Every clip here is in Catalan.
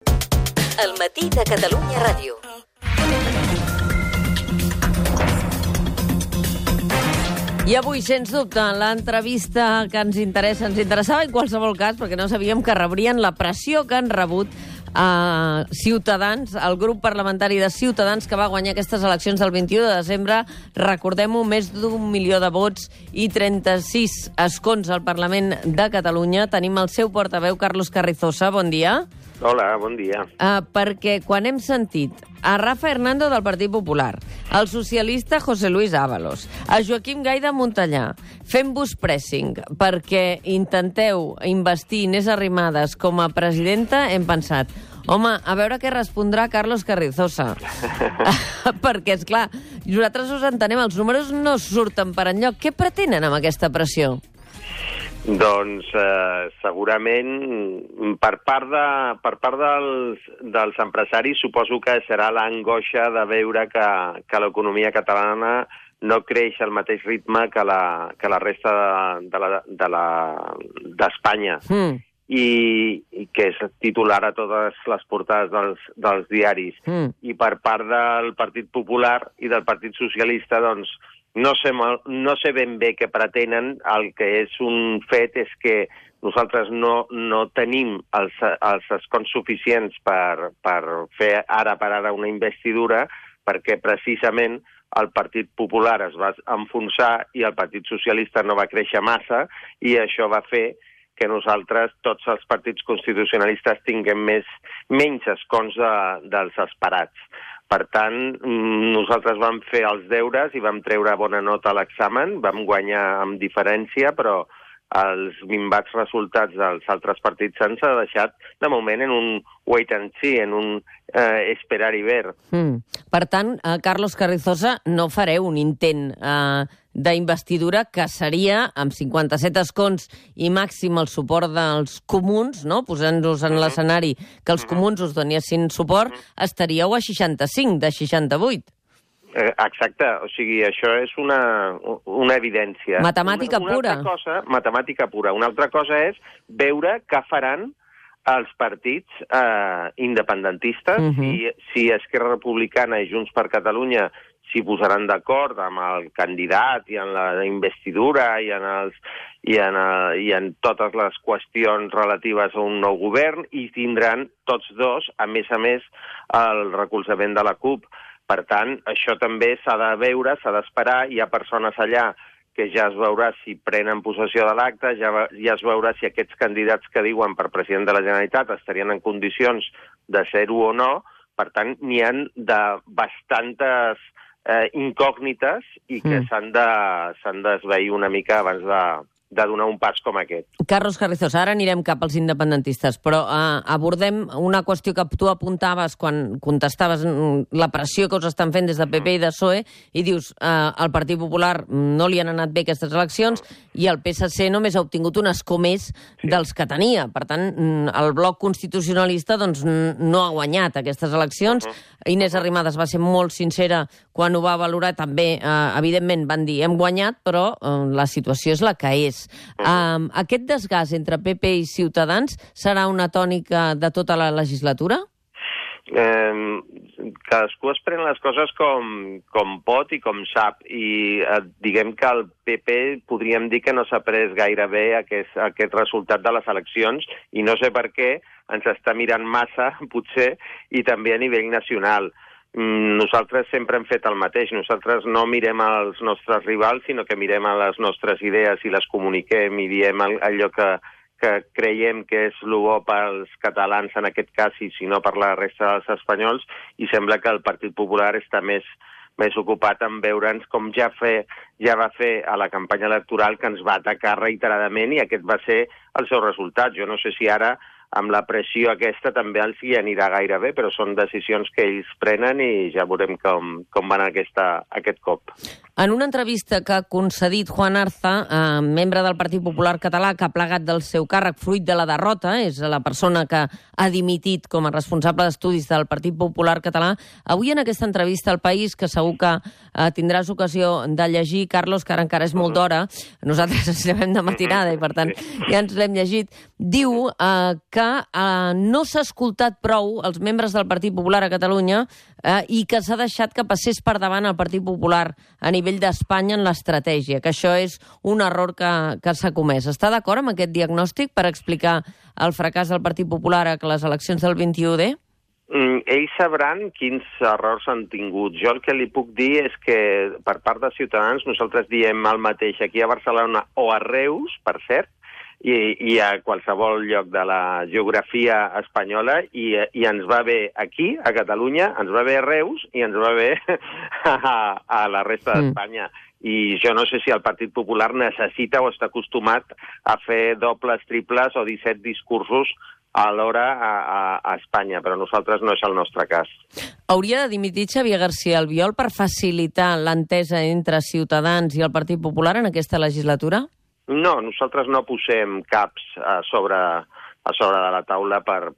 El matí de Catalunya Ràdio. I avui, sens dubte, l'entrevista que ens interessava en qualsevol cas, perquè no sabíem que rebrien la pressió que han rebut Ciutadans, el grup parlamentari de Ciutadans que va guanyar aquestes eleccions del 21 de desembre. Recordem-ho, més d'1 milió de vots i 36 escons al Parlament de Catalunya. Tenim el seu portaveu, Carlos Carrizosa. Bon dia. Hola, bon dia. Perquè quan hem sentit a Rafa Hernando del Partit Popular, al socialista José Luis Ábalos, a Joaquim Gay de Montellà, fent-vos pressing perquè intenteu investir Inés Arrimadas com a presidenta, hem pensat, home, a veure què respondrà Carlos Carrizosa. Perquè, esclar, nosaltres us entenem, els números no surten per enlloc. Què pretenen amb aquesta pressió? Doncs segurament per part dels empresaris suposo que serà l'angoixa de veure que l'economia catalana no creix al mateix ritme que la resta d'Espanya. I que és titular a totes les portades dels diaris. I per part del Partit Popular i del Partit Socialista, doncs, no sé ben bé què pretenen. El que és un fet és que nosaltres no tenim els escons suficients per fer ara per ara una investidura, perquè precisament el Partit Popular es va enfonsar i el Partit Socialista no va créixer massa, i això va fer que nosaltres, tots els partits constitucionalistes, tinguem menys escons dels esperats. Per tant, nosaltres vam fer els deures i vam treure bona nota a l'examen, vam guanyar amb diferència, però els minvats resultats dels altres partits ens ha deixat, de moment, en un wait and see, en un esperar i ver. Per tant, Carlos Carrizosa, no fareu un intent d'investidura que seria, amb 57 escons i màxim el suport dels comuns, no? Posant-nos en l'escenari que els comuns us donessin suport, estaríeu a 65 de 68. Exacte, o sigui, això és una evidència. Matemàtica pura. Matemàtica pura. Una altra cosa és veure què faran els partits independentistes, si Esquerra Republicana i Junts per Catalunya s'hi posaran d'acord amb el candidat i en la investidura i en totes les qüestions relatives a un nou govern, i tindran tots dos, a més, el recolzament de la CUP. Per tant, això també s'ha de veure, s'ha d'esperar. Hi ha persones allà que ja es veurà si prenen possessió de l'acte, ja es veurà si aquests candidats que diuen per president de la Generalitat estarien en condicions de ser-ho o no. Per tant, n'hi ha de bastantes incògnites i que s'han d'esvair una mica abans de donar un pas com aquest. Carlos Carrizosa, ara anirem cap als independentistes, però abordem una qüestió que tu apuntaves quan contestaves la pressió que us estan fent des de PP i de PSOE, i dius, al Partit Popular no li han anat bé aquestes eleccions i el PSC només ha obtingut un escó més dels que tenia. Per tant, el bloc constitucionalista doncs, no ha guanyat aquestes eleccions. Inés Arrimadas va ser molt sincera quan ho va valorar. També, evidentment, van dir hem guanyat, però la situació és la que és. Aquest desgast entre PP i Ciutadans serà una tònica de tota la legislatura? Cadascú es pren les coses com pot i com sap, i diguem que el PP podríem dir que no s'ha pres gaire bé aquest resultat de les eleccions, i no sé per què ens està mirant massa, potser, i també a nivell nacional. Nosaltres sempre hem fet el mateix. Nosaltres no mirem als nostres rivals, sinó que mirem a les nostres idees i les comuniquem i diem allò que creiem que és el bo pels catalans en aquest cas, i si no per la resta dels espanyols, i sembla que el Partit Popular està més ocupat en veure'ns com ja va fer a la campanya electoral, que ens va atacar reiteradament, i aquest va ser el seu resultat. Jo no sé si ara amb la pressió aquesta també els hi anirà gaire bé, però són decisions que ells prenen i ja veurem com van aquest cop. En una entrevista que ha concedit Juan Arza, membre del Partit Popular Català, que ha plegat del seu càrrec fruit de la derrota, és la persona que ha dimitit com a responsable d'estudis del Partit Popular Català, avui en aquesta entrevista al País, que segur que tindràs ocasió de llegir, Carlos, que ara encara és molt d'hora, nosaltres ens llevem de matinada i per tant ja ens l'hem llegit, diu que que no s'ha escoltat prou els membres del Partit Popular a Catalunya i que s'ha deixat que passés per davant el Partit Popular a nivell d'Espanya en l'estratègia, que això és un error que s'ha comès. Està d'acord amb aquest diagnòstic per explicar el fracàs del Partit Popular a les eleccions del 21D? Ells sabran quins errors han tingut. Jo el que li puc dir és que per part de Ciutadans nosaltres diem el mateix aquí a Barcelona o a Reus, per cert, i a qualsevol lloc de la geografia espanyola, i ens va bé aquí, a Catalunya, ens va bé a Reus i ens va bé a la resta d'Espanya. I jo no sé si el Partit Popular necessita o està acostumat a fer dobles, triples o 17 discursos alhora a Espanya, però nosaltres no és el nostre cas. Hauria de dimitir Xavier García Albiol per facilitar l'entesa entre Ciutadans i el Partit Popular en aquesta legislatura? No, nosaltres no posem caps a sobre de la taula per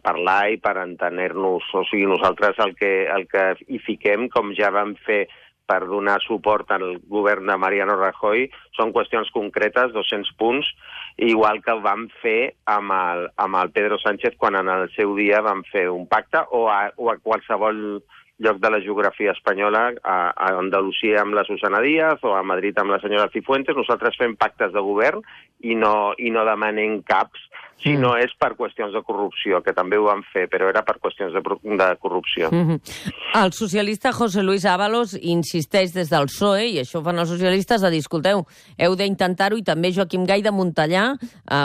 parlar i per entenir-nos. O sigui, nosaltres el que hi fiquem, com ja vam fer per donar suport al govern de Mariano Rajoy, són qüestions concretes, 200 punts, igual que vam fer amb el Pedro Sánchez quan en el seu dia vam fer un pacte, o a qualsevol lloc de la geografia espanyola, a Andalusia amb la Susana Díaz o a Madrid amb la senyora Cifuentes. Nosaltres fem pactes de govern i no demanem caps, si no és per qüestions de corrupció, que també ho van fer, però era per qüestions de corrupció. El socialista José Luis Ábalos insisteix des del PSOE, i això ho fan els socialistes, de dir, escolteu, heu d'intentar-ho, i també Joaquim Gay de Montellà,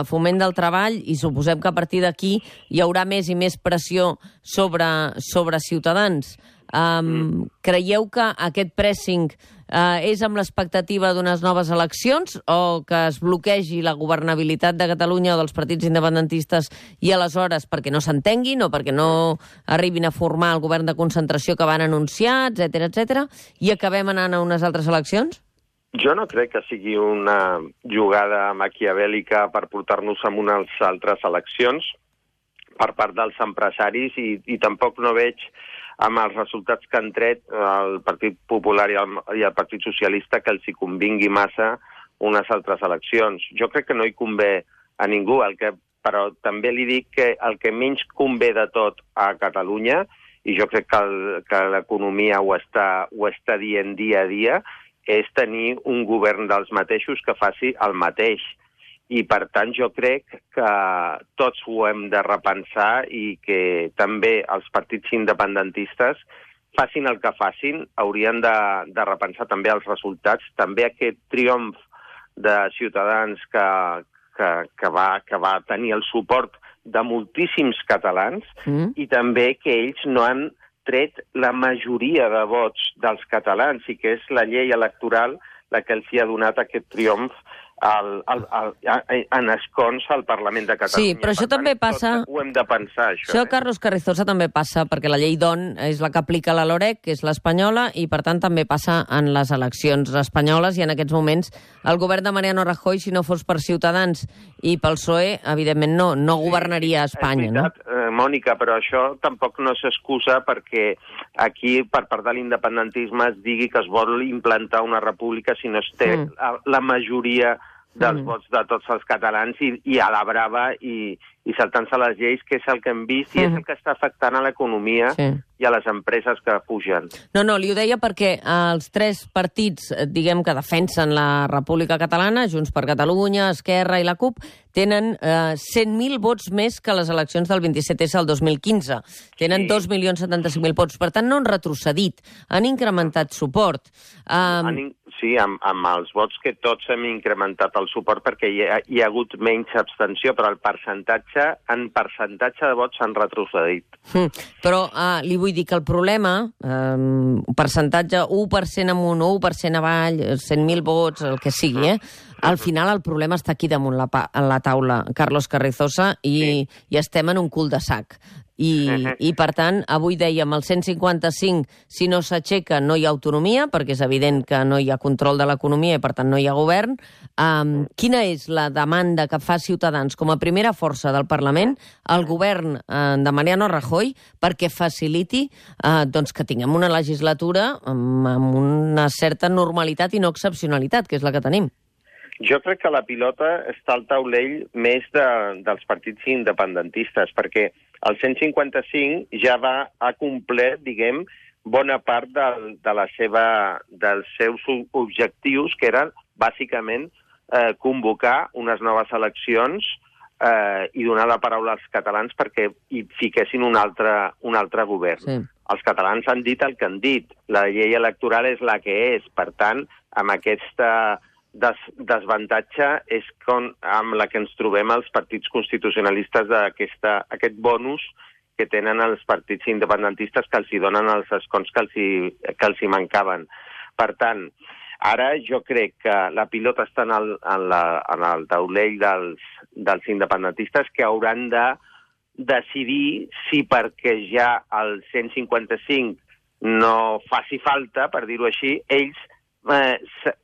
Foment del Treball, i suposem que a partir d'aquí hi haurà més i més pressió sobre Ciutadans. Creieu que aquest pressing és amb l'expectativa d'unes noves eleccions o que es bloquegi la governabilitat de Catalunya o dels partits independentistes i aleshores perquè no s'entenguin o perquè no arribin a formar el govern de concentració que van anunciar, etc, i acabem anant a unes altres eleccions? Jo no crec que sigui una jugada maquiavèlica per portar-nos a unes altres eleccions per part dels empresaris i tampoc no veig amb els resultats que han tret el Partit Popular i el Partit Socialista que els hi convingui massa unes altres eleccions. Jo crec que no hi convé a ningú, però també li dic que el que menys convé de tot a Catalunya, i jo crec que l'economia ho està dient dia a dia, és tenir un govern dels mateixos que faci el mateix. I, per tant, jo crec que tots ho hem de repensar i que també els partits independentistes, facin el que facin, haurien de repensar també els resultats. També aquest triomf de Ciutadans que va tenir el suport de moltíssims catalans i també que ells no han tret la majoria de vots dels catalans i que és la llei electoral la que els hi ha donat aquest triomf en escons al Parlament de Catalunya. Sí, però això també passa... Ho hem de pensar, això. Això, Carlos Carrizosa, també passa perquè la llei d'ON és la que aplica la LOREC, que és l'espanyola, i per tant també passa en les eleccions espanyoles, i en aquests moments el govern de Mariano Rajoy, si no fos per Ciutadans i pel PSOE, evidentment no governaria Espanya, no? És veritat, Mònica, però això tampoc no s'excusa perquè aquí, per part de l'independentisme, es digui que es vol implantar una república si no es té la majoria dels vots de tots els catalans i a la brava i saltant-se les lleis, que és el que hem vist i és el que està afectant a l'economia i a les empreses que pugen. No, li ho deia perquè els tres partits, diguem, que defensen la República Catalana, Junts per Catalunya, Esquerra i la CUP, tenen 100.000 vots més que les eleccions del 27S al 2015. Tenen 2.075.000 vots. Per tant, no han retrocedit, han incrementat suport. Sí, amb els vots que tots hem incrementat el suport perquè hi ha hagut menys abstenció, però en percentatge de vots s'han retrocedit. Però li vull dir que el problema, percentatge 1% amunt, 1% avall, 100.000 vots, el que sigui, al final el problema està aquí damunt la taula, Carlos Carrizosa, i estem en un cul-de-sac. I per tant, avui dèiem, el 155, si no s'aixeca, no hi ha autonomia, perquè és evident que no hi ha control de l'economia i per tant no hi ha govern. Quina és la demanda que fa Ciutadans com a primera força del Parlament al govern de Mariano Rajoy perquè faciliti que tinguem una legislatura amb una certa normalitat i no excepcionalitat, que és la que tenim? Jo crec que la pilota està al taulell més dels partits independentistes, perquè el 155 ja ha complert, diguem, bona part dels seus objectius, que eren, bàsicament, convocar unes noves eleccions i donar la paraula als catalans perquè hi fiquessin un altre govern. Sí. Els catalans han dit el que han dit. La llei electoral és la que és. Per tant, amb aquesta desavantatge és amb la que ens trobem els partits constitucionalistes d'aquest bonus que tenen els partits independentistes que els hi donen els escons que els hi mancaven. Per tant, ara jo crec que la pilota està en el taulell dels independentistes, que hauran de decidir si perquè ja el 155 no faci falta, per dir-ho així, ells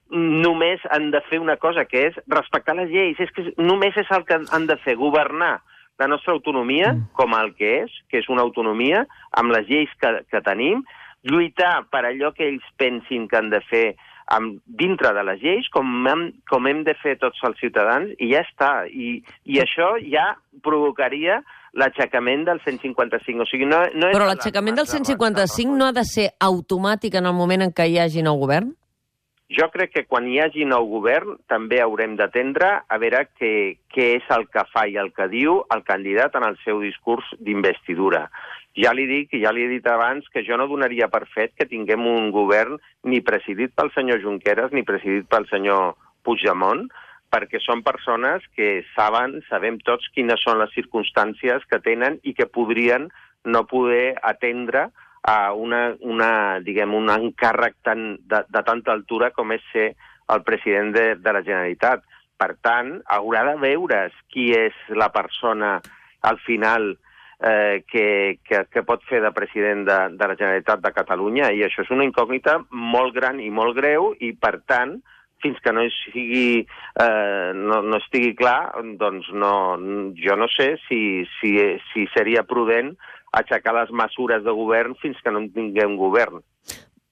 només han de fer una cosa, que és respectar les lleis. És que només és el que han de fer, governar la nostra autonomia com el que és una autonomia, amb les lleis que tenim, lluitar per allò que ells pensin que han de fer dintre de les lleis, com hem de fer tots els ciutadans, i ja està. I això ja provocaria l'aixecament del 155. O sigui, no és. Però l'aixecament del 155 no ha de ser automàtic en el moment en què hi hagi nou govern? Jo crec que quan hi hagi nou govern també haurem d'atendre a veure què és el que fa i el que diu el candidat en el seu discurs d'investidura. Ja li dic, i ja li he dit abans, que jo no donaria per fet que tinguem un govern ni presidit pel senyor Junqueras ni presidit pel senyor Puigdemont, perquè són persones que sabem tots quines són les circumstàncies que tenen i que podrien no poder atendre a un encàrrec de tanta altura com és ser el president de la Generalitat. Per tant, haurà de veure's qui és la persona, al final, que pot fer de president de la Generalitat de Catalunya, i això és una incògnita molt gran i molt greu, i, per tant, fins que no estigui clar, doncs jo no sé si seria prudent aixecar les mesures de govern fins que no tinguem govern.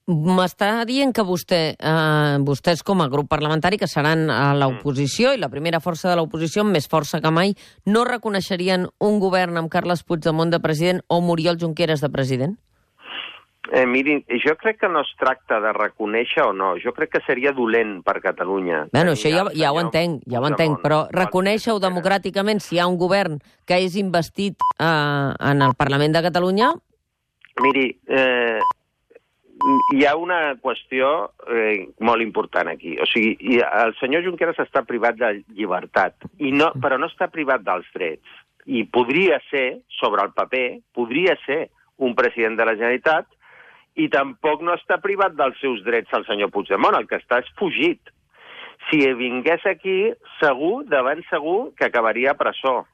M'està dient que vostès com a grup parlamentari, que seran a l'oposició i la primera força de l'oposició, amb més força que mai, no reconeixerien un govern amb Carles Puigdemont de president o Oriol Junqueras de president? Mirin, jo crec que no es tracta de reconèixer o no. Jo crec que seria dolent per Catalunya. Bueno, això ja ho entenc, però reconèixer-ho democràticament si hi ha un govern que és investit en el Parlament de Catalunya? Miri, hi ha una qüestió molt important aquí. O sigui, el senyor Junqueras està privat de llibertat, però no està privat dels drets. I podria ser, sobre el paper, podria ser un president de la Generalitat, i tampoc no està privat dels seus drets el senyor Puigdemont, el que està és fugit. Si vingués aquí, segur que acabaria a presó.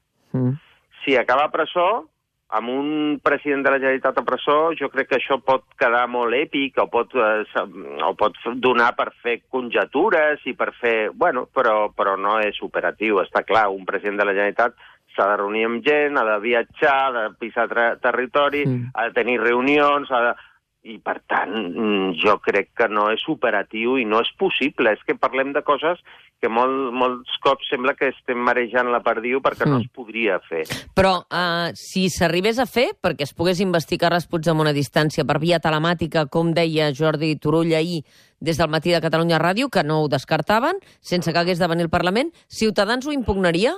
Si acaba a presó, amb un president de la Generalitat a presó, jo crec que això pot quedar molt èpic, o pot donar per fer conjectures i per fer... Bueno, però no és operatiu, està clar. Un president de la Generalitat s'ha de reunir amb gent, ha de viatjar, ha de pisar territori, ha de tenir reunions, i, per tant, jo crec que no és operatiu i no és possible. És que parlem de coses que molts cops sembla que estem marejant la perdiu perquè no es podria fer. Però si s'arribés a fer, perquè es pogués investigar Carles Puigdemont a distància per via telemàtica, com deia Jordi Turull ahir des del Matí de Catalunya Ràdio, que no ho descartaven, sense que hagués de venir al Parlament, Ciutadans ho impugnaria?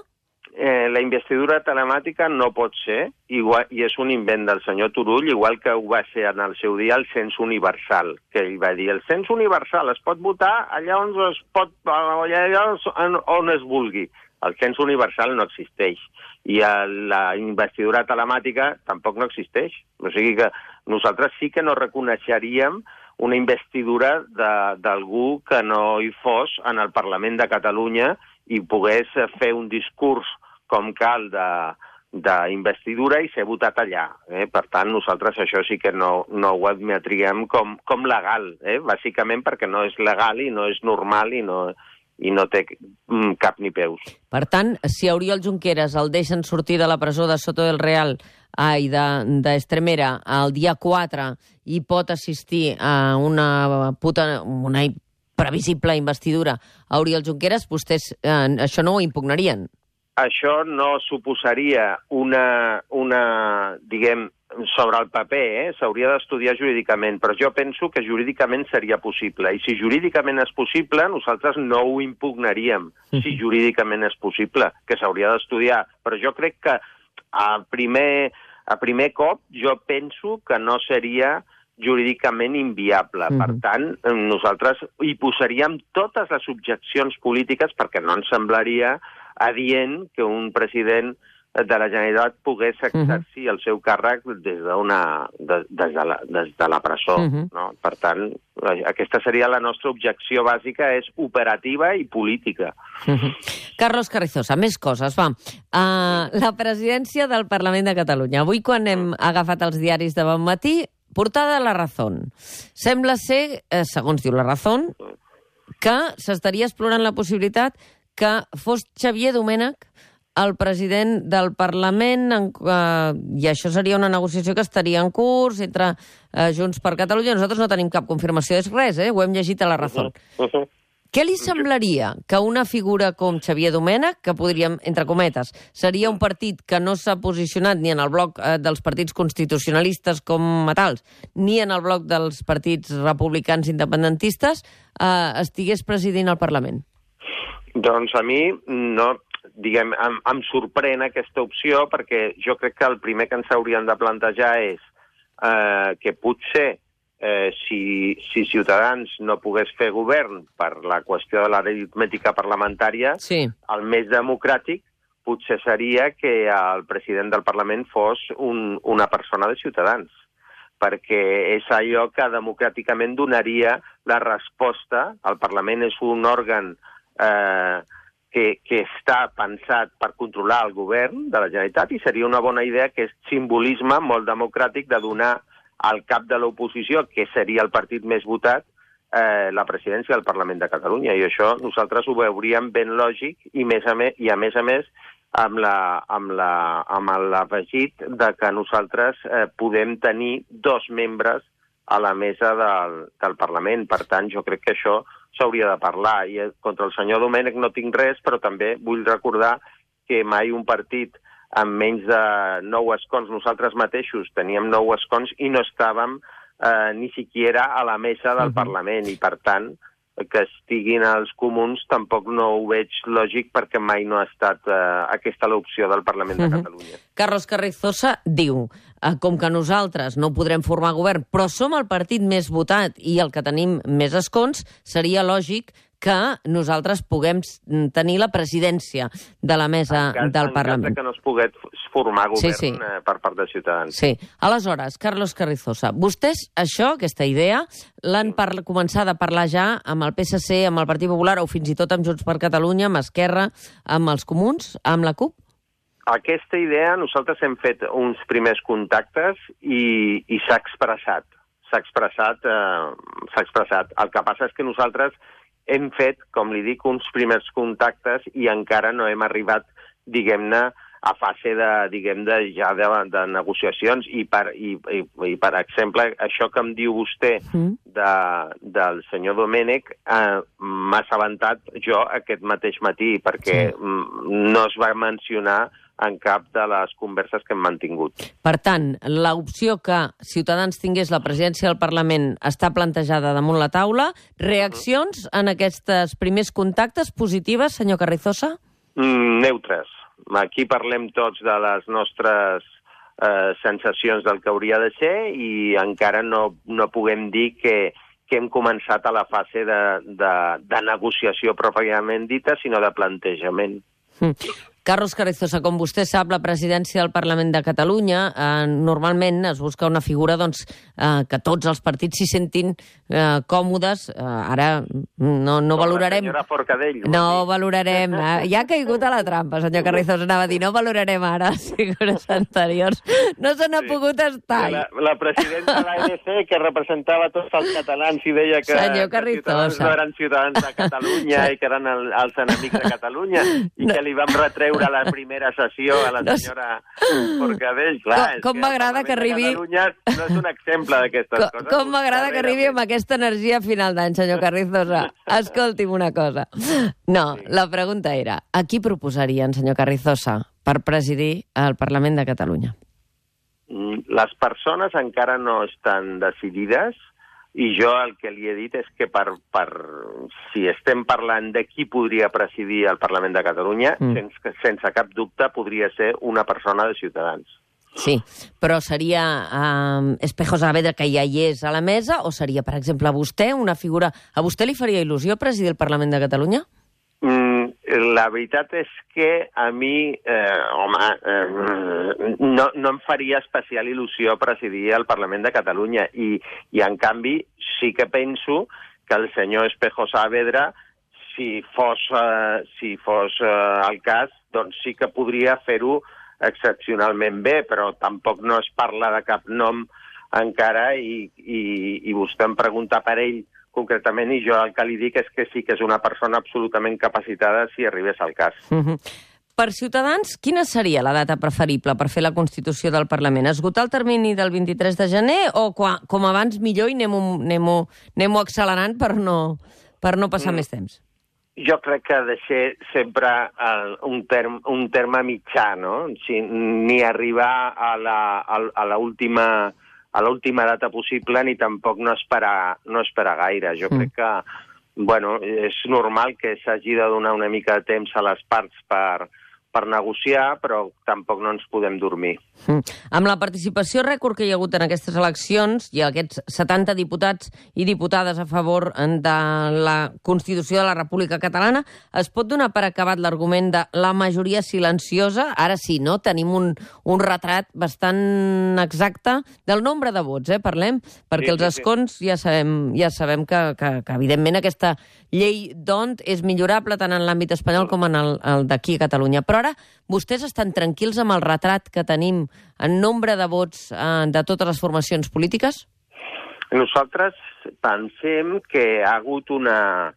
La investidura telemàtica no pot ser, i és un invent del senyor Turull, igual que ho va ser en el seu dia el cens universal, que ell va dir, el cens universal es pot votar allà on es vulgui. El cens universal no existeix, i la investidura telemàtica tampoc no existeix. O sigui que nosaltres sí que no reconeixeríem una investidura d'algú que no hi fos en el Parlament de Catalunya i pogués fer un discurs com cal d'investidura i ser votat allà. Per tant, nosaltres això sí que no ho admetríem com legal, bàsicament perquè no és legal i no és normal i no té cap ni peus. Per tant, si a Oriol Junqueras el deixen sortir de la presó de Soto del Real i d'Estremera el dia 4 i pot assistir a una previsible investidura a Oriol Junqueras, vostès això no ho impugnarien. Això no suposaria diguem, sobre el paper, s'hauria d'estudiar jurídicament, però jo penso que jurídicament seria possible. I si jurídicament és possible, nosaltres no ho impugnaríem, si jurídicament és possible, que s'hauria d'estudiar. Però jo crec que a primer cop jo penso que no seria jurídicament inviable. Per tant, nosaltres hi posaríem totes les objeccions polítiques perquè no ens semblaria adient que un president de la Generalitat pogués exercir el seu càrrec des de la presó. No? Per tant, aquesta seria la nostra objecció bàsica, és operativa i política. Carlos Carrizosa, més coses, va. La presidència del Parlament de Catalunya. Avui, quan hem agafat els diaris de bon matí, portada a La Razón. Sembla ser, segons diu La Razón, que s'estaria explorant la possibilitat que fos Xavier Domènech el president del Parlament, i això seria una negociació que estaria en curs entre Junts per Catalunya. Nosaltres no tenim cap confirmació de res, ho hem llegit a La Razón. Què li semblaria que una figura com Xavier Domènech, que podríem, entre cometes, seria un partit que no s'ha posicionat ni en el bloc dels partits constitucionalistes com a tals, ni en el bloc dels partits republicans independentistes, estigués presidint el Parlament? Doncs a mi no, diguem, em sorprèn aquesta opció, perquè jo crec que el primer que ens hauríem de plantejar és que potser si Ciutadans no pogués fer govern per la qüestió de l'aritmètica parlamentària, el més democràtic potser seria que el president del Parlament fos una persona de Ciutadans, perquè és allò que democràticament donaria la resposta. El Parlament és un òrgan que està pensat per controlar el govern de la Generalitat, i seria una bona idea, que és simbolisme molt democràtic, de donar al cap de l'oposició, que seria el partit més votat, la presidència del Parlament de Catalunya. I això nosaltres ho veuríem ben lògic, i a més amb l'afegit de que nosaltres podem tenir 2 membres a la mesa del Parlament. Per tant, jo crec que això s'hauria de parlar. I contra el senyor Domènech no tinc res, però també vull recordar que mai un partit amb menys de 9 escons, nosaltres mateixos teníem 9 escons i no estàvem ni siquiera a la mesa del Parlament, i per tant que estiguin els comuns tampoc no ho veig lògic, perquè mai no ha estat aquesta l'opció del Parlament de Catalunya. Carlos Carrizosa diu, com que nosaltres no podrem formar govern, però som el partit més votat i el que tenim més escons, seria lògic que nosaltres puguem tenir la presidència de la mesa del Parlament. En cas que no es pogués formar govern per part de Ciutadans. Sí. Aleshores, Carlos Carrizosa, vostès aquesta idea, l'han començat a parlar ja amb el PSC, amb el Partit Popular, o fins i tot amb Junts per Catalunya, amb Esquerra, amb els Comuns, amb la CUP? Aquesta idea, nosaltres hem fet uns primers contactes i s'ha expressat. S'ha expressat. El que passa és que nosaltres hem fet, com li dic, uns primers contactes i encara no hem arribat, diguem-ne, a fase de negociacions. I per exemple, això que em diu vostè del senyor Domènech, m'ha assabentat jo aquest mateix matí, perquè no es va mencionar en cap de les converses que hem mantingut. Per tant, l'opció que Ciutadans tingués la presidència del Parlament està plantejada damunt la taula. Reaccions en aquests primers contactes positives, senyor Carrizosa? Neutres. Aquí parlem tots de les nostres sensacions del que hauria de ser, i encara no puguem dir que hem començat a la fase de negociació pròpiament dita, sinó de plantejament. Carlos Carrizosa, com vostè sap, la presidència del Parlament de Catalunya normalment es busca una figura que tots els partits s'hi sentin còmodes. Ara no valorarem... La senyora Forcadell. No valorarem... Ja ha caigut a la trampa, senyor Carrizosa, anava a dir, no valorarem ara figures anteriors. No se n'ha pogut estar. La presidenta de l'ANC, que representava tots els catalans i deia que Ciutadans no eren ciutadans de Catalunya i que eren els enemics de Catalunya, i que li vam retreure veure la primera sessió a la senyora Forcadell. Clar, com m'agrada que arribi... Catalunya no és un exemple d'aquestes coses. Com m'agrada que arribi amb aquesta energia a final d'any, senyor Carrizosa. Escolti'm una cosa. No, la pregunta era, a qui proposarien, senyor Carrizosa, per presidir el Parlament de Catalunya? Les persones encara no estan decidides i jo el que li he dit és que si estem parlant de qui podria presidir el Parlament de Catalunya, sense cap dubte podria ser una persona de Ciutadans. Sí, però seria Espejo Saavedra, que ja hi és a la mesa, o seria, per exemple, vostè, una figura... A vostè li faria il·lusió presidir el Parlament de Catalunya? La veritat és que a mi, no em faria especial il·lusió presidir el Parlament de Catalunya i en canvi sí que penso que el senyor Espejo Saavedra, si fos el cas, doncs sí que podria fer-ho excepcionalment bé, però tampoc no es parla de cap nom encara i vostè em pregunta per ell concretament, i jo el que li dic és que sí que és una persona absolutament capacitada si arribés al cas. Per Ciutadans, quina seria la data preferible per fer la Constitució del Parlament? Esgotar el termini del 23 de gener o com abans millor i anem-ho accelerant per no passar més temps? Jo crec que ha de ser sempre un terme mitjà, no? Ni arribar a l'última data possible ni tampoc no esperar gaire. Jo crec que és normal que s'hagi de donar una mica de temps a les parts per negociar, però tampoc no ens podem dormir. Amb la participació rècord que hi ha hagut en aquestes eleccions i aquests 70 diputats i diputades a favor de la Constitució de la República Catalana, es pot donar per acabat l'argument de la majoria silenciosa? Ara sí, no? Tenim un retrat bastant exacte del nombre de vots, parlem, perquè els escons ja sabem que evidentment aquesta llei d'ONT és millorable tant en l'àmbit espanyol com en el d'aquí a Catalunya. Però ara vostès estan tranquils amb el retrat que tenim en nombre de vots de totes les formacions polítiques? Nosaltres pensem que ha hagut una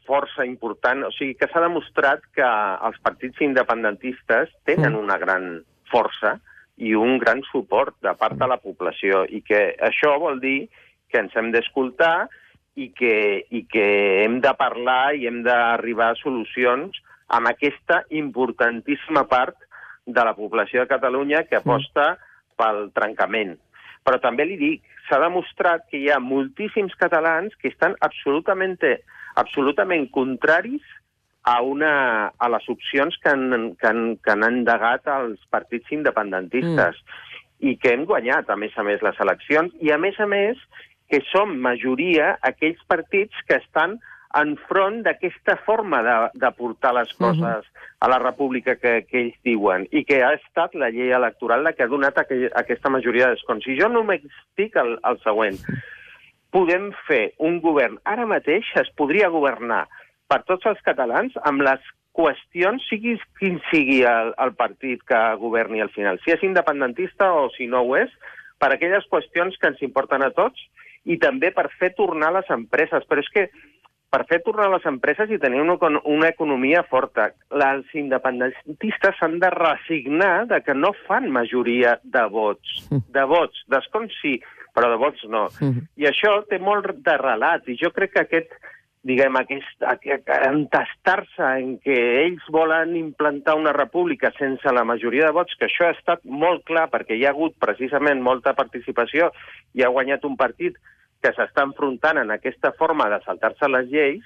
força important, o sigui que s'ha demostrat que els partits independentistes tenen una gran força i un gran suport de part de la població i que això vol dir que ens hem d'escoltar i que hem de parlar i hem d'arribar a solucions amb aquesta importantíssima part de la població de Catalunya que aposta pel trencament. Però també li dic, s'ha demostrat que hi ha moltíssims catalans que estan absolutament contraris a les opcions que han endegat els partits independentistes i que hem guanyat, a més, les eleccions i, a més, que som majoria aquells partits que estan enfront d'aquesta forma de portar les coses a la república que ells diuen i que ha estat la llei electoral la que ha donat aquesta majoria d'escons. I jo només dic el següent. Podem fer un govern. Ara mateix es podria governar per tots els catalans amb les qüestions, sigui quin sigui el partit que governi al final, si és independentista o si no ho és, per aquelles qüestions que ens importen a tots i també per fer tornar les empreses. Però és que per fer tornar les empreses i tenir una economia forta. Els independentistes s'han de resignar de que no fan majoria de vots. De vots, d'escons sí, però de vots no. I això té molt de relat, i jo crec que entestar-se en que ells volen implantar una república sense la majoria de vots, que això ha estat molt clar perquè hi ha hagut precisament molta participació i ha guanyat un partit que s'està enfrontant en aquesta forma de saltar-se les lleis,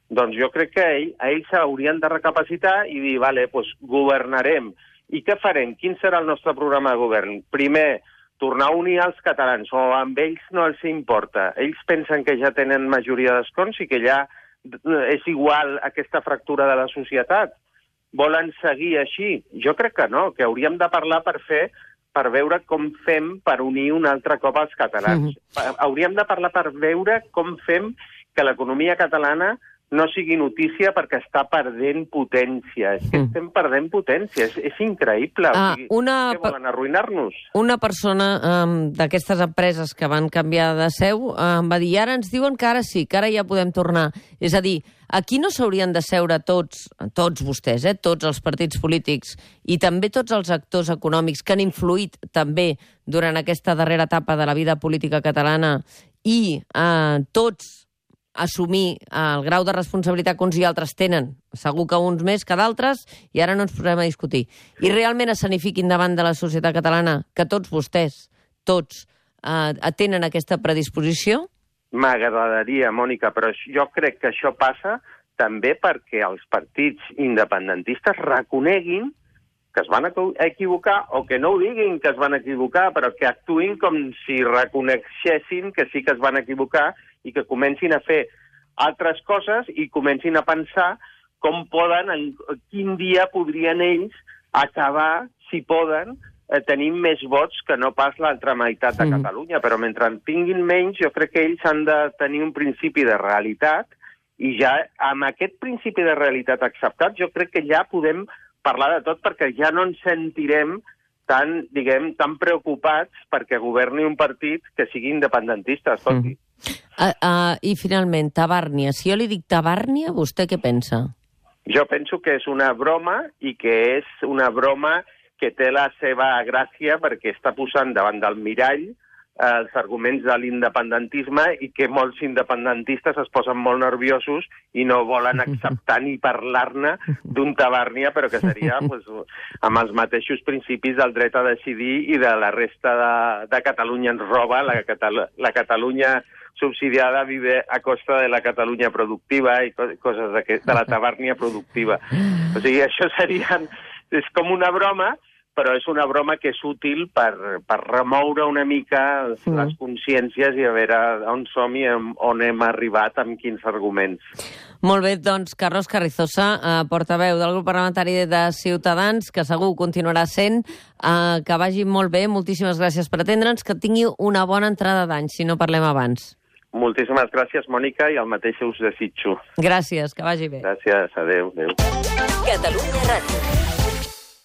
doncs jo crec que ells haurien de recapacitar i dir, vale, doncs governarem. I què farem? Quin serà el nostre programa de govern? Primer, tornar a unir els catalans, o amb ells no els importa. Ells pensen que ja tenen majoria d'escons i que ja és igual aquesta fractura de la societat. Volen seguir així? Jo crec que no, que hauríem de parlar per veure com fem per unir un altre cop els catalans. Hauríem de parlar per veure com fem que l'economia catalana no sigui notícia perquè està perdent potència. És que estem perdent potència, és increïble. Què volen, arruïnar-nos? Una persona d'aquestes empreses que van canviar de seu em va dir, ara ens diuen que ara sí, que ara ja podem tornar. És a dir, aquí no s'haurien de seure tots vostès, tots els partits polítics i també tots els actors econòmics que han influït també durant aquesta darrera etapa de la vida política catalana i tots assumir el grau de responsabilitat que uns i altres tenen, segur que uns més que d'altres, i ara no ens posarem a discutir. I realment escenifiquin davant de la societat catalana que tots vostès, tots, tenen aquesta predisposició? M'agradaria, Mònica, però jo crec que això passa també perquè els partits independentistes reconeguin que es van equivocar, o que no ho diguin que es van equivocar, però que actuïn com si reconeixessin que sí que es van equivocar i que comencin a fer altres coses i comencin a pensar com poden, en quin dia podrien ells acabar, si poden, tenint més vots que no pas l'altra meitat de Catalunya. Però mentre en tinguin menys, jo crec que ells han de tenir un principi de realitat i ja amb aquest principi de realitat acceptat jo crec que ja podem parlar de tot perquè ja no ens sentirem tan preocupats perquè governi un partit que sigui independentista, escolti. I finalment, Tabàrnia. Si jo li dic Tabàrnia, vostè què pensa? Jo penso que és una broma i que és una broma que té la seva gràcia perquè està posant davant del mirall els arguments de l'independentisme i que molts independentistes es posen molt nerviosos i no volen acceptar ni parlar-ne d'un Tabàrnia, però que seria amb els mateixos principis del dret a decidir i de la resta de Catalunya ens roba, la Catalunya subsidiada vive a costa de la Catalunya productiva i coses de la Tabàrnia productiva. O sigui, això és com una broma, però és una broma que és útil per remoure una mica les consciències i a veure on som i on hem arribat, amb quins arguments. Molt bé, doncs, Carlos Carrizosa, portaveu del grup parlamentari de Ciutadans, que segur continuarà sent, que vagi molt bé, moltíssimes gràcies per atendre'ns, que tingui una bona entrada d'any, si no parlem abans. Moltíssimes gràcies, Mònica, i el mateix us desitjo. Gràcies, que vagi bé. Gràcies, adéu. Catalunya Ràdio.